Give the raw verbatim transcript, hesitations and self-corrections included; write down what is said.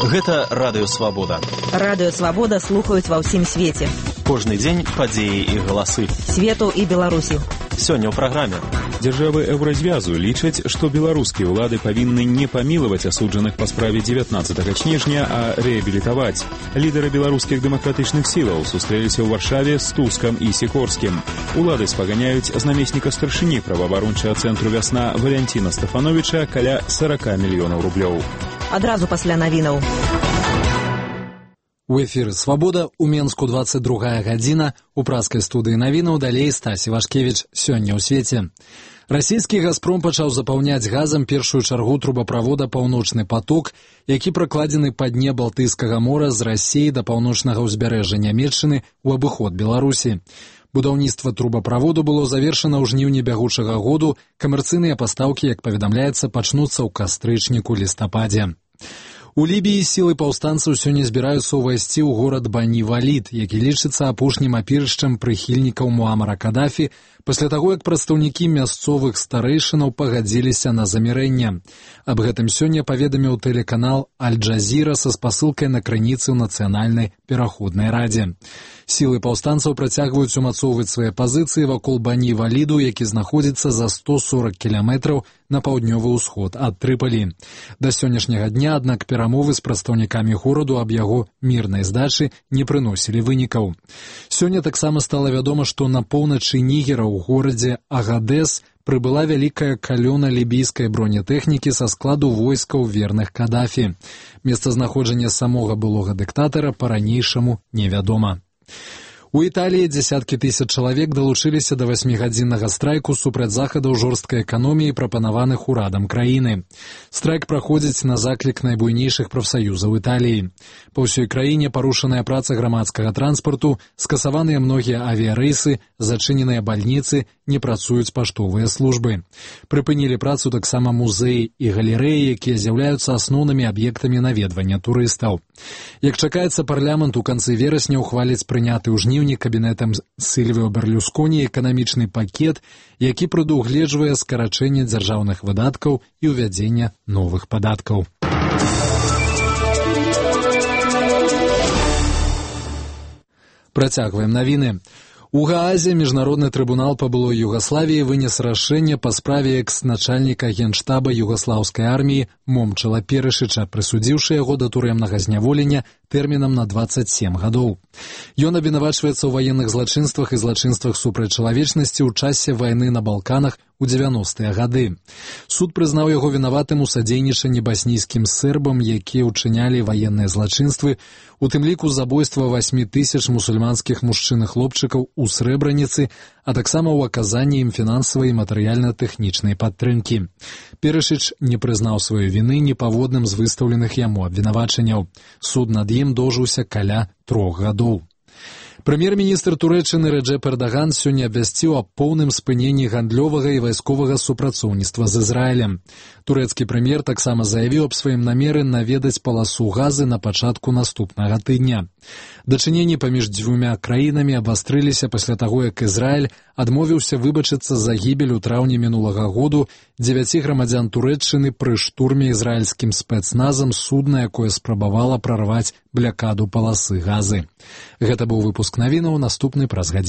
Гэта Радыё Свабода. Радыё Свабода слухаюць ва ўсім свеце. Кожны дзень падзеі і галасы. Свету і Беларусі. Сёння ў праграме. Дзяржавы Еўразвязу лічаць, што беларускія ўлады павінны не памілаваць асуджаных па справе дзевятнаццатага снежня, а рэабілітаваць. Лідары беларускіх дэмакратычных сілаў сустрэліся ў Варшаве з Тускам і Сікорскім. Улады спаганяюць з намесніка старшыні праваабарончага цэнтру «Вясна» Валянціна Стафановіча каля сорок мільёнаў рублёў. Адразу пасля навінаў. У эфіры «Свабода» у Менску двадцать другая гадзіна, у праскай студыі навінаў далей Стасі Вашкевіч. Сёння ў свеце. Расійскі «Газпром» пачаў запаўняць газам першую чаргу трубаправода «Паўночны паток», які пракладзены па дне Балтыйскага мора з Расіі да паўночнага ўзбярэжжа Нямецчыны ў абыход Беларусі. Будаўніцтва трубаправоду было завершана ў жніўні бягучага году, камерцыйныя пастаўкі, як паведамляецца, пачнуцца ў кастрычніку-лістападзе. У Лібіі сілы паўстанцаў сёння збіраюцца ўвайсці ў горад Бані-Валід, які лічыцца апошнім апірышчам прыхільнікаў Муамара Кадафі, пасля таго, як прадстаўнікі мясцовых старэйшынаў пагадзіліся на замірэнне. Аб гэтым сёння паведаміў тэлеканал Аль-Джазіра са спасылкай на крыніцы ў Нацыянальнай пераходнай радзе. Сілы паўстанцаў працягваюць умацоўваць свае пазіцыі вакол Бані-Валіду, які знаходзіцца за сто сорок кіламетраў на паўднёвы ўсход ад Трыпалі. Да сённяшняга дня, аднак, перамовы з прадстаўнікамі гораду аб яго мірнай здачы не прыносілі вынікаў. Сёння таксама стала вядома, што на поўначы Нігера ў горадзе Агадес прыбыла вялікая калёна лібійскай бронетэхнікі са складу войскаў верных Кадафі. Месцазнаходжанне самога былога дыктатара па-ранейшаму невядома. У Італіі дзесяткі тысяч чалавек далучыліся да васьмігадзіннага страйку супраць захадаў жорсткай эканоміі, прапанаваных урадам краіны. Страйк праходзіць на заклік найбуйнейшых прафсаюзаў Італіі. Па ўсёй краіне парушаная праца грамадскага транспарту, скасаваныя многія авіярэйсы, зачыненыя бальніцы, не працуюць паштовыя службы. Прыпынілі працу таксама музеі і галерэі, якія з'яўляюцца асноўнымі аб'ектамі наведвання турыстаў. Як чакаецца, парламент у канцы верасня ўхваліць прыняты ў жніўні кабінетам Сільвіо Берлюсконі эканамічны пакет, які прадугледжвае скарачэнне дзяржаўных выдаткаў і ўвядзення новых падаткаў. Працягваем навіны. У Гаазе міжнародны трыбунал па былой Югаславіі вынес рашэнне па справе экс-начальніка генштаба югаслаўскай арміі Момчала Перышыча, прысудзіўшы яго да турэмнага зняволення тэрмінам на дваццаць сем гадоў. Ён абвінавачваецца ў ваенных злачынствах і злачынствах супраць чалавечнасці ў часе вайны на Балканах у дзевяностыя гады. Суд прызнаў яго вінаватым у садзейнічанні баснійскім сербам, якія ўчынялі ваенныя злачынствы, у тым ліку забойства васьмі тысяч мусульманскіх мужчын і хлопчыкаў у Срэбраніцы, а таксама ў аказанні ім фінансавай і матэрыяльна-тэхнічнай падтрымкі. Перышыч не прызнаў сваёй віны непаводным з выстаўленых яму абвінавачанняў. Суд над ім доўжыўся каля трох гадоў. Прэм'ер-міністр Турэччыны Рэджэп Эрдаган сёння абвясціў аб поўным спыненні гандлёвага і вайсковага супрацоўніцтва з Ізраілем. Турэцкі прэм'ер таксама заявіў аб сваім намеры наведаць паласу Газы на пачатку наступнага тыдня. Дачыненні паміж дзвюмя краінамі абвастрыліся пасля таго, як Ізраіль адмовіўся выбачыцца за гібель у траўні мінулага году дзевяці грамадзян Турэччыны пры штурме ізраільскім спецназам судна, якое спрабавала прарваць блякаду паласы Газы. Гэта быў выпуск навінаў, наступны праз гадзіну.